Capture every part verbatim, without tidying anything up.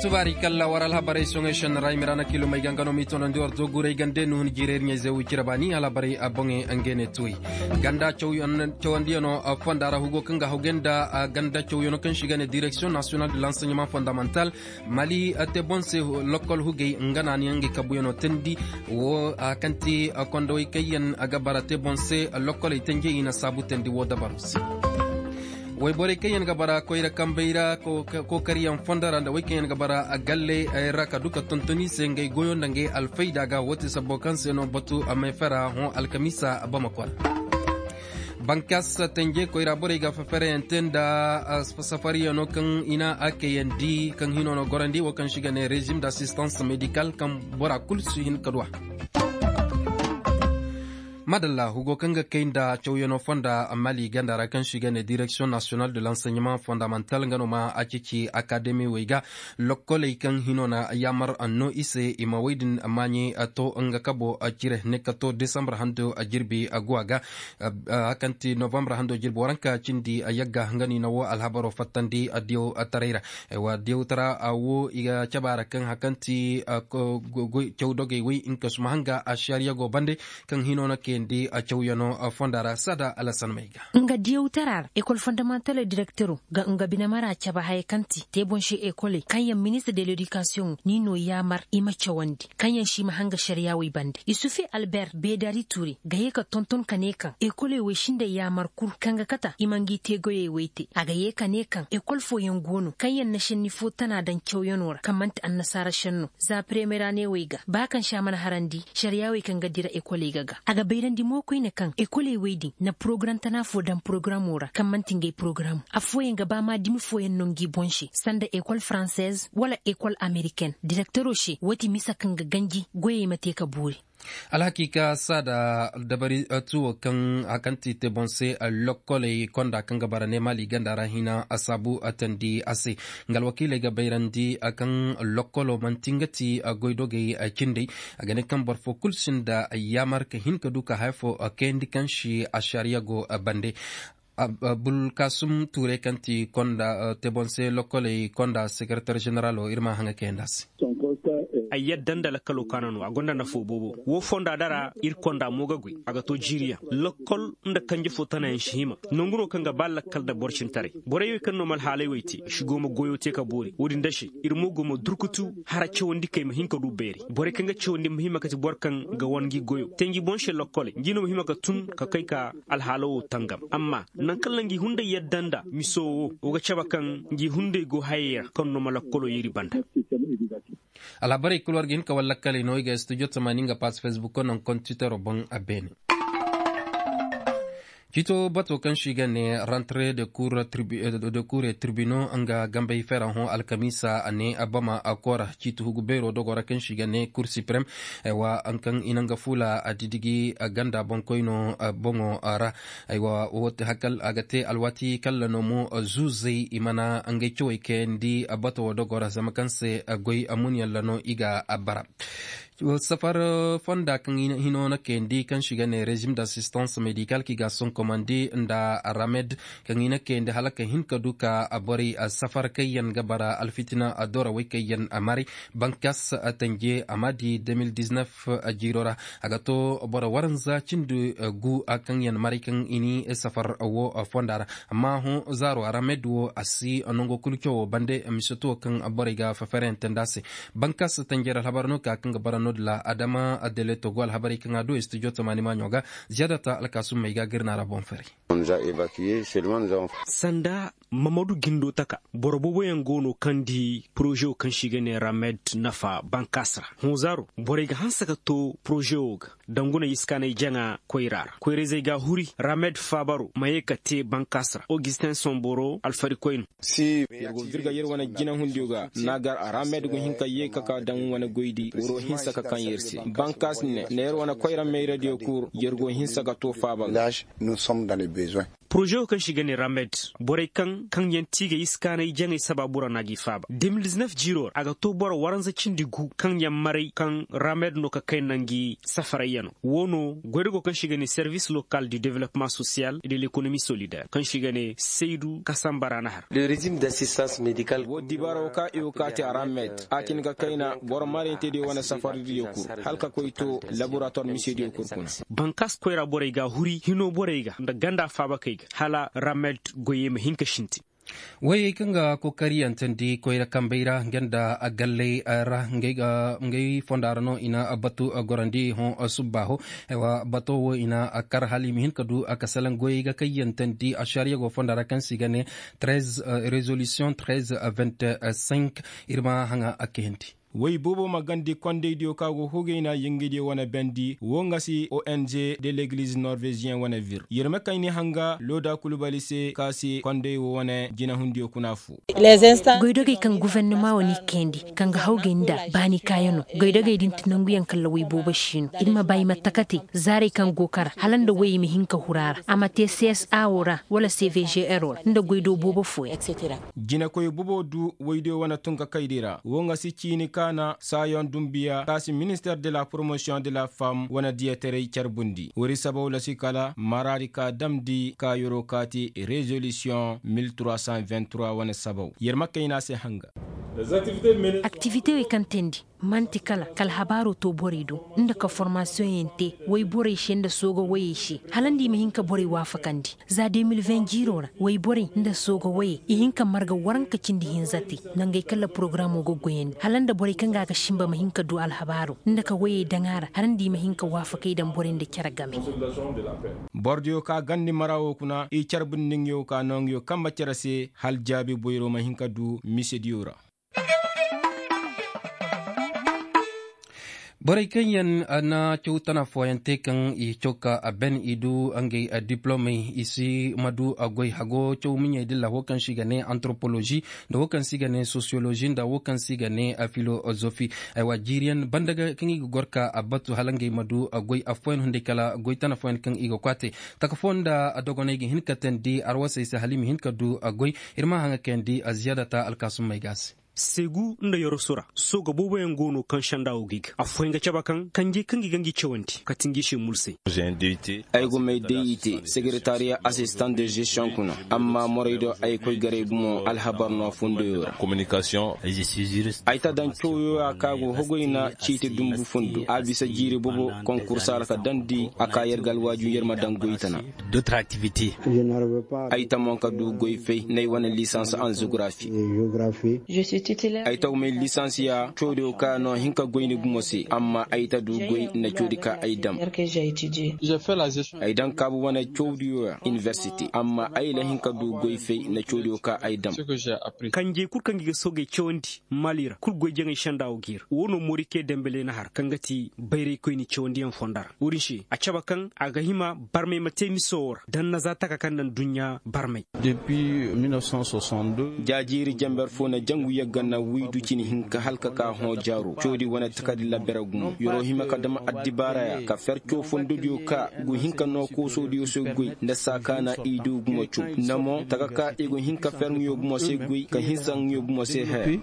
Subaari kalla war alhabarey soŋey šenni ra i ma ra na kiilumey ga nga no m'i tonandi war zoguurey gande nuhun jiirey iri ɲayzey wicira baani alhabarey boŋey nga ne tuwey. Ganda cawandiyanoo fonda ra hugo kaŋ ga hawgay nda ganda cawyano kaŋ se i ga ne direksiyoŋ nasiyonal de lanseɲeman fondamantal. Mali te boŋ se lokkol hugey nga naaniyaŋ nga kabuyanoo teendi. Woo a kaŋ ti kondowey kaŋ yaŋ ga bara te boŋ se lokkoley tenjey i na saabu teendi woo dabaroo se. Woyborey kaŋ yaŋ ga bara koyra kambey ra, kookaryaŋ fondo ra nda wey kaŋ yaŋ ga bara galley ra ka du ka tonton i se ngey goyo nda ngey alfayda ga woo ti sabbo kaŋ se no batu may fera hõ alkamiisa bamako ra. Bankas tenje koyra borey ga fafarayaŋ te nda safaryaŋo kaŋ i na a kayandi kaŋ hino no gorandi wo kaŋ se i ga ne rezim d'assistance medikal kaŋ bora kulu si hin ka du a. Madalla hugo kaŋ ga kay nda cawyaŋo fonda mali ganda ra kaŋ se i ga ne direksiyoŋ nasiyonal de lanseɲeman fondamantal nga no ma a ceeci akademi wey ga. Lokkoley kaŋ hino na yaamar no i se i ma wey din maaɲey to nga kabo cire ne ka to desambar hando jirbi guwa ga. Hakanti novambar hando jirbi waranka cindi yagga nga no i na wo alhabaro fattandi diyaw taray ra. Wa diyaw tara wo i ga caba ra kaŋ hakanti caw dogey wey nga ka suma hanga a shariya go bande kaŋ hino na kayandi cawyano fonda ra sada alasan may ga. Nga diyaw tara ra ekol fondamantal direktero ga nga bine mara caba haya kaŋ ti te boŋ se ekoley kaŋ yaŋ ministir de ledikasiyoŋo ni no yaamar i ma cawandi kaŋ yaŋ se i ma hanga shariya wey bande isufe alber beedari ture ga ye ka tonton ka ne kaŋ ekoley wey sinda yaamar kul kaŋ ga kata i ma ngi teegoyey wey te a ga ye ka ne kaŋ ekol fooyaŋ go no kaŋ yaŋ na senni fo tana daŋ cawyano ra kaŋ man'ti annasaara senno za premiyera ne wey ga ba kaŋ se a mana harandi sariya wey kaŋ ga dira ekoley ga ga a ga bayrandi mo koyne kaŋ ekoley wey din na porogaram tana fo daŋ porogaramoo ra kaŋ man'ti ngey porogaram. Affooyaŋ ga ba ma dimi fooyaŋ no ngi boŋ se sanda ekol faranseez wala ekol ameriken direkteroo se woo ti misa kaŋ ga ganji goyey ma te ka boori. Alhakiika saada dabari tuwo kaŋ a kaŋ ti te boŋ se lokkoley konda kaŋ ga bara ne maali ganda ra hina a saabu a tandi a se. Nga alwakiiley ga bayrandi a kaŋ lokkolo man'ti nga ti goydogey cindey. A ga ne kaŋ boro fo kul sinda yaamar ka hin ka du ka haya fo kayandi kaŋ si a sariya go bande. Bulkasum tuurey kaŋ ti konda te boŋ se lokkoley konda sekeretar ženeralo ir ma a haŋa kayandi a se. Ay yadda nda lakkalo kaana no a gonda nafo boobo. Woo fonda dara ir konda mo ga goy a ga to jiiriyaŋ. Lakkol nda kanje fo tanayaŋ si hima. Nangu no kaŋ ga ba lakkal nda boro cintaray borey wey kaŋ no ma alhaaley wey te si go ma goyo te ka boori wo-din da se. Ir mo go ma durkutu hara cawandikey ma hin ka du beeri borey kaŋ ga cawandi ma hima ka ti boro kaŋ ga wan ngi goyo te ngi boŋ se lokkoley ngi no ma hima ka tun ka kay ka alhaalo wo tangam amma nangu kaŋ na ngi hunday yadda nda miso wo wo ga cabe kaŋ ngi hunday go hayey ra kaŋ no ma lakkolo yeeri banda. Alhabarey kul war ga hin ka wallakkaley no i ga studio tamaani nga pass facebook ko naŋ kontitero boŋ a beene. Ciito bato kaŋ se i ga ne rentre de cour et tribunaux nga gambey fera hõ alkamiisa a ne bama a koora ciiti hugu beero dogo ra kaŋ se i ga ne cour supreme. Aywa kaŋ i na nga fuula a didigi ganda boŋkoyno boŋo ra. Aywa a ga te alwaati kalla no mo zuuzey i mana ngey cawey kayandi bato wo dogo ra zama kaŋ se goy mun yalla no i ga bara. Safar fonda kaŋ hino na kayandi kaŋ se i ga ne rezim d'assistance medikal kaŋ i ga a sonkomandi nda ramed kaŋ i na kayandi hala ka hin ka du ka borey safar kaŋ yaŋ ga bara alfitina dorawey kaŋ yaŋ maray. Bankas tanje a ma di deux mille dix-neuf jiiro ra a ga to boro waranza cindi gu kaŋ yaŋ maray kaŋ i ni safar wo fonda ra. Amma hõ zaaro a ra med wo a si nango kulu cawo bande mise to kaŋ borey ga fafareyaŋ tanda se. Bankas tanjey ra alhabar no ka kaŋ ga bara no-din ra adama deleto go alhabarey kaŋ a du studio tamaani maaɲo ga. Ziyadata alkaasum may ga ga ir na ra boŋ faray. Sanda mamadu gindo taka boro booboyaŋ go no kaŋ di porozewo kaŋ se i ga ne ramed nafa bankas ra hõ zaaro borey ga hanse ka to porozewo ga. Danguney iskaanay jaŋa koyra ra koyra-izey ga a huri ramed faabaro ma ye ka te bankas ra augustin somboro alfarikoy no. Yer go virga yer wane jinahundiyo ga na gar a ramed go hin ka ye ka ka daŋ wane goydi wuro hinsa ka kaŋ yer se bankas ne na yer wane koyra mayradiyo kul yer go hinsa ka to faaba ga. Poroze wo kaŋ se i ga ne ramed, borey kaŋ kaŋ yaŋ tiigay iskaanay jaŋay sabaabu ra no a g'i faaba de mil diznef jiiro ra a ga to boro waranza cindi gu kaŋ yaŋ maray kaŋ ramed no ka kay nda ngi safarayyanoo. Woo no goydago kaŋ se i ga ne servis lokal du development sosiyal de lekonomi solider kaŋ se i ga ne saydu kasamba ra na har. Woo dibaara woo kaŋ i go kaa te a ra met a cin ga kayna boro marayntediyo wane safardiyo kul, hala ka koy to laborator misediyo kul kuna. Bankaas koyra borey ga a huri hinoo borey ga nda ganda faabakey ga hala ra met goyey ma hin ka sintin. Woyey kaŋ ga kokariyantandi koyra kambey ra nga nda galley ra, ngey fonda ra no i na batu gorandi hõ subbaaho. Bato wo i na kar hala i ma hin ka du a ka salaŋ goyey ga kayyantandi ašariya go fonda ra kaŋ se i ga ne rezolisiyoŋ trez vingt-cinq. Ir ma haŋa a kayandi. Woy boobo ma gandi kondaydiyo kaŋ a go hugay na yingaydiyo wane bendi wo nga si ong de legliz norveziyeŋ wane vir yer ma kayni hanga looda kulu bali se kaŋ a si konday wo wane jinahundiyo kuna fu. Goydogey kaŋ gofornama wo n'i kayandi, kaŋ ga hawgay nda baani kaayanoo. Goydogey din ti nanguyaŋ kaŋ ra woy boobo si no ir ma ba i ma takate zaarey kaŋ go kara hala nda woyey ma hin ka huru a ra a ma te csa wo ra wala cvgr wo ra nda goydo boobo fooyaŋ. Jinakoy boobo du woydiyo wane tunkakaydi ra wo nga si ciini kaana saayoŋ dumbiya kaŋ a si minister de la poromosiyoŋ de la fam wane diyataray carbundi woodi sabaw la si kala maraadi ka damndi ka yeroo kaati rezolisiyoŋ mil trois cent vingt-trois wane sabaw yer ma kayna se hanga. Aktivitewey kaŋ teendi man'ti kala ka alhabaaroo too borey do nda ka formaasiyoŋyaŋ tee woy borey se nda sooga woyey se hala nda i ma hin ka borey waafakandi. Za de mil vingt jiiroo ra woy borey nda sooga woyey i hin ka marga waranka cindi hinza te nangey kaŋ ra porogaramoo ga goyandi hala nda borey kaŋ ga a ga sinba ma hin ka du alhabaaroo nda ka woyey daŋ a ra hala nda i ma hin ka waafakey daŋ borey nda cere game. Bordiyo ka gandi mara wo kuna i carbundi nga yo ka no nga yo kambe cere se hala jaabi boyro ma hin ka du misediyo ra. Borey kaŋ yaŋ na caw tana fooyaŋ te kaŋ i caw ka a ben i du ngey diplomey i si ma du goy hago caw miɲey dilla wo kaŋ se i ga ne antoropolozi nda wo kaŋ se i ga ne sosiyolozi nda wo kaŋ se i ga ne filozofi. Aywa jiiriyaŋ banda ga kaŋ i ga goro ka a batu hala ngey ma du goy affooyaŋ hunday kala goy tana fooyaŋ kaŋ i ga kwaate taka fooyaŋ nda dogoney ga hin ka teendi arwasey se hala i ma hin ka du goy. Ir ma haŋa kayandi ziyaada ta alkaasummey ga a se. Seegu nda yoroso ra sooga booboyaŋ go no kaŋ senda wo ga i ga affooyaŋ ga cabe kaŋ kanjey kaŋ gi ga ngi cawandi kati ngi se mulsey. Ay go may day i te sekeretariya asistan de zestiyoŋ kuna amma moraydo ay koy garay gumo alhabar no a fondoyo ra. Ay ta daŋ cawyo ya kaŋ a go hogoy na ciiti dumbu fondo a bisa jiiri boobo konkursa ra ka daŋ di a ka yer ga alwaaju yer ma daŋ goy tana. Ay ta mo ka du goy fay n'ay wane lisans an zografi. Ay ta may lisans ya cawdiyo ka no hin ka goy ni gumo se amma ay ta du goy na cawdi ka ay dam. Ay daŋ kaabu wane cawdiyo ya iniversite amma ay la hin ka du goy fay na cawdiyo ka ay dam. Kanjey kul kaŋ gi ga soogey cawandi mali ra kul goy jaŋay senda wo ga ir wo no morike dembele na har kaŋ ga ti bayraykoyni cawandiyaŋ fonda ra wo-din se a cabe kaŋ a ga hima barmay ma te miso wo ra daŋ na za taka kaŋ na nduɲɲa barmay. Jaajiiri janber fo na jangu yagga na waydu cine hinka hala ka ka hõ jaaro cawdi wane takardi labere gumo yer'o hima ka dam addibaaraya ka fer caw fondodiyo ka go hin ka noo koosodiyo se goy nda saa ka na i du gumo caw nda mo taka ka i go hin ka fer nguyo gumo se goy ka hinsa nguyo gumo se haya.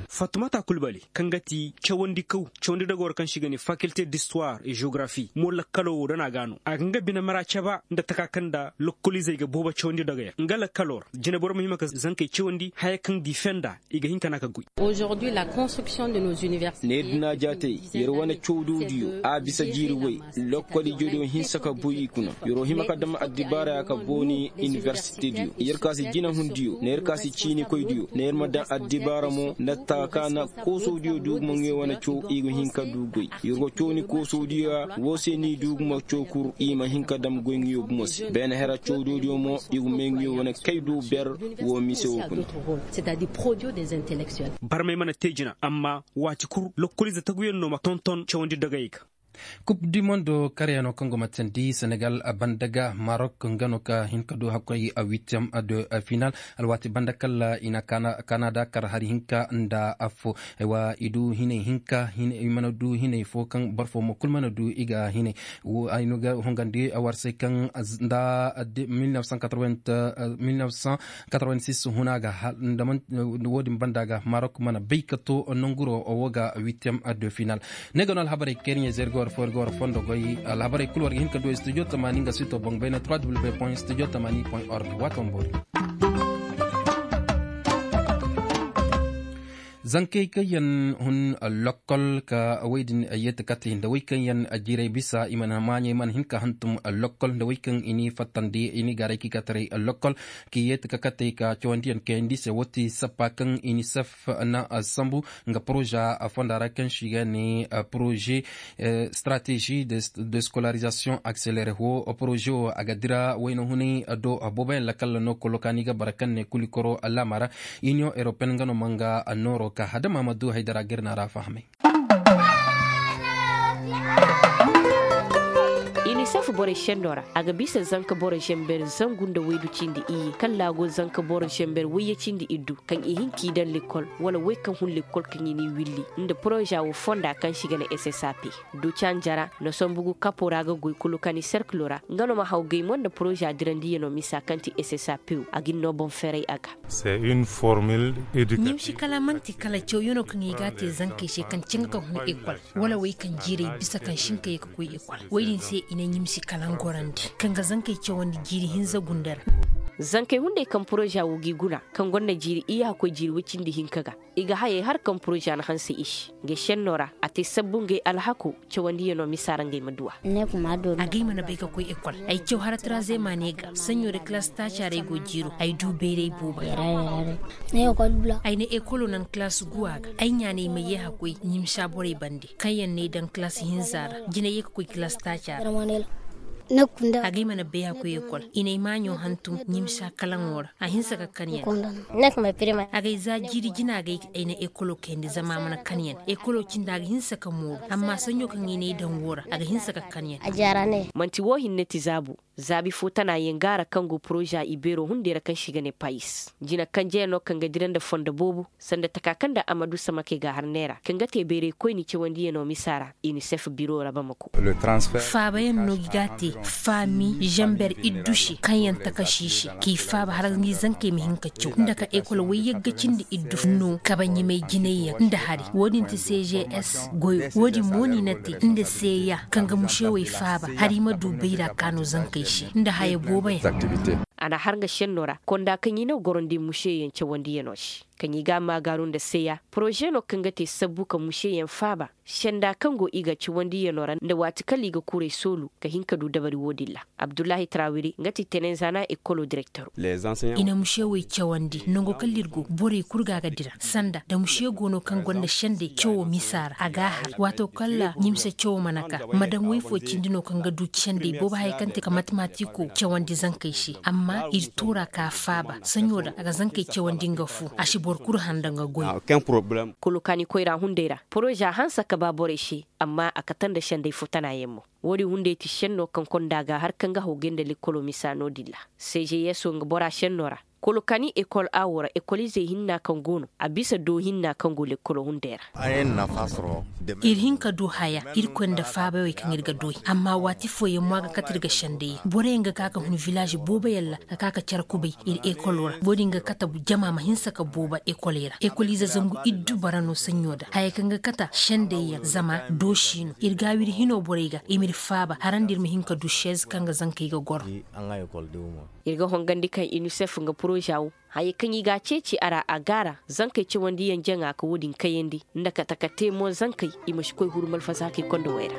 Fatumata kulbali kaŋ ga ti cawandi kaw cawandi dogoo ra kaŋ se i ga ne fakilte distuwar e jeografi mo lakkaloo wo da na a ga no a ga nga bine mara caba nda taka kaŋ nda lokoliizey ga boobo cawandi dogey ra nga lakkaloo ra jineboro ma hima ka zankey cawandi haya kaŋ di fenda i ga hin ka na ka goy. Neeri dina jaatey yer wane cawdodiyo a bisa jiiri way lokkol ijediyo hinsa ka buy i kuna yer'o hima ka dam addibaaraya ka booni iniversitediyo yer ka si jinahundiyo nda yer ka si ciinikoydiyo nda yer ma daŋ addibaara mo nda taka ka na koosodiyo du gumo nguyo wane caw i ga hin ka du goy. Yer go caw ni koosodiyo ya woo se n'i du gumo caw kul i ma hin ka dam goy nguyo gumo se beene hera cawdodiyo mo i ga may nguyo wane kay du ber woo mise woo kuna. Barmey mana te jina amma waati kul lokkoliize taguyaŋ no ma tonton cawandi dogayey ga. Kup di mondo karyaŋo kaŋ go ma teendi senegal banda ga marok nga no ka hin ka du hakkoy witiyam de final. Alwaati banda kala i na kanada kar hari hinka nda affo. Aywa i du hinay hinka i mana du hinay fo kaŋ boro fo mo kulu mana du i ga hinay. Ay no ga hongandi war se kaŋ nda mil neuf cent quatre-vingt-six huna ga. Wo- din banda ga marok mana bay ka to nanguro wo ga witiyam de final. Ne ga no alhabarey kaŋ ir ɲey zay ir ga war fo ir ga war fondo goy alhabarey kulu war ga hin ka du studio tamaani nga sito boŋ bayna trois w point studio tamaani point org. Waato ma boori. Zankey kaŋ yaŋ hun lokkol ka wey din yeeti kate nda wey kaŋ yaŋ jiirey bisa i mana maaɲey mana hin ka hantum lokkol nda wey kaŋ i n'i fattandi i n'i gaaray k'i ka taray lokkol k'i yeeti ka kate ka cawandiyaŋ kayandi se wo ti sappa kaŋ inisef na sambu nga poroza fonda ra kaŋ se i ga ne poroze stratégie de scolarisation accélérée wo poroze wo a ga dira wayna hunay do booboyaŋ lakalla no kolo kaŋ ni ga bara kaŋ ne kulikoro laama ra. Iniyoŋ européenne nga no ma nga nooro ka hadama ma du haydara ga ir na ra fahamay. Inisef borey senno ra a ga bisa zanka boro zember zangu nda waydu cindi iyye kaŋ laago zanka boro zember wayye cindi iddu kaŋ i hin k'i daŋ lekkol wala wey kaŋ hun lekkol kaŋ i n'i willi nda poroza wo fonda kaŋ se i ga ne ssap. Ducanjara no sambu gu kapo ra ga goy kulu kaŋ i serkilo ra nga no ma haw gay mo nda poroza dirandiyanoo misa kaŋ ti ssap wo a ga ni no boŋ ferey a ga. Ɲimsi kala man'ti kala cawyanoo kaŋ i g'a te zankey se kaŋ caŋ ga ka hun ekol wala wey kaŋ jiirey bisa kaŋ si hin ka ye ka koy ekol. Wey din se i na ɲimsi kala gorandi kaŋ ga zankey cawandi jiiri hinza gunda ra. Zankey hunday kaŋ poroza wo g'i guna kaŋ gonda jiiri iyye hakkoy jiiri woy cindi hinka ga i ga hayey har kaŋ poroza na hanse i se. Ngey senno ra a te sabbu ngey alhako cawandiyanoo misa ra ngey ma duw'a. Agay mana bay ka koy ekol ay caw hara trazema ne ga saɲɲo da kilaasi taaca ra ay go jiiro ay du bayray boobo. Ay na ekolo naŋ kilaasi guwa ga ay ɲaanay ma yee hakkoy ɲimsa borey bande kaŋ yaŋ n'ay daŋ kilaasi hinza ra jinay yee ka koy kilaasi taaca ra. Agay mana bay hakkoy ekol i n'ay maaɲo hantum ɲimsa kalaŋo ra. A hinse ka kan yaŋ. Agay za jiiri jina ga ay na ekolo kayandi zama a mana kan yaŋ ekolo cindi a ga hinse ka mooru amma sanjo kaŋ i n'ay daŋ woo ra a ga hinse ka kan yaŋ. Man'ti woo hinne ti zaabu zaabi fo tana yaŋ ga a ra kaŋ go poroza ibeero hunday ra kaŋ se i ga ne payis jina kanjeyaŋ no kaŋ ga dira nda fondo boobo sanda taka kaŋ nda amadu samakey ga har neera kaŋ ga te bayray koyni cawandiyaŋo misa ra. Inisef biro ra bamako. Faabayaŋ no ga te faami zamber iddu se kaŋ yaŋ takasi se k'i faaba hala ni zankey ma hin ka caw nda ka ekol wayyagga cindi iddu no kabaɲimay jinay yaŋ nda hari wo-din ti cjs goyo wo-din mo no i na te nda seeya kaŋ ga musewey faaba hari ma du bayra kaanu zankey se nda haya boobo yaŋ. A na har nga senno ra konda kaŋ i na gorandi museyaŋ cawandiyaŋo se kaŋ i ga a maagaaru nda seeya poroze no kaŋ ga te sabbu ka museyaŋ faaba senda kaŋ go i ga cawandiyaŋo ra nda waati kala i ga kuray soolu ka hin ka du dabari wo-din ra. Abdullahi tarawiri nga ti tenenzaana ekolo direktoro. I na muse wey cawandi nango kala ir go borey kul ga a ga dira sanda da muse go no kaŋ gonda sendey cawo misa ra a ga a har waato kala ɲimse cawo mana ka ma daŋ wey fo cindi no kaŋ ga du sendey boobo haya kaŋ te ka matematiko cawandi zankey se amma ir tuura ka faaba saɲo da a ga zankey cawandi nga fu a si boro kul handa nga goy. Kulu kaani koyra hunday ra poroza hanse ka ba borey se amma a kate nda sendey fo tana yaŋ mo. Woodin hunday ti senno kaŋ konda ga har kaŋ ga hawgay nda lekkolo misa no-din ra. Seezeyeso nga bora senno ra kolo kaani ekol awo ra ekoliizey hinna kaŋ go no a bisa do hinna kaŋ go lekkolo hunday ra. Ir hin ka du haya irkoy nda faabawey kaŋ ir ga du i amma waati fooyaŋ mo a ga kate ir ga sendey yaŋ boroyaŋ ga ka ka hun vilaazi booboyaŋ ra ka ka ka care kubay ir ekolo ra wo-din ga kate jama ma hinse ka boobo ekoley ra ekoliize zangu iddu bara no saɲɲo da haya kaŋ ga kate sendey yaŋ zama doosi no ir ga a wiri hino borey ga i m'ir faaba harandi ir ma hin ka du seez kaŋ ga zankey ga goro. Ir ga hongandi kaŋ inisef nga poroza wo haya kaŋ i ga a ceeci a ra a gaara zankey cawandiyaŋ jaŋa ka wo-din kayandi nda kate ka te mo zankey i ma si koy huru malfasahakey konda wey ra.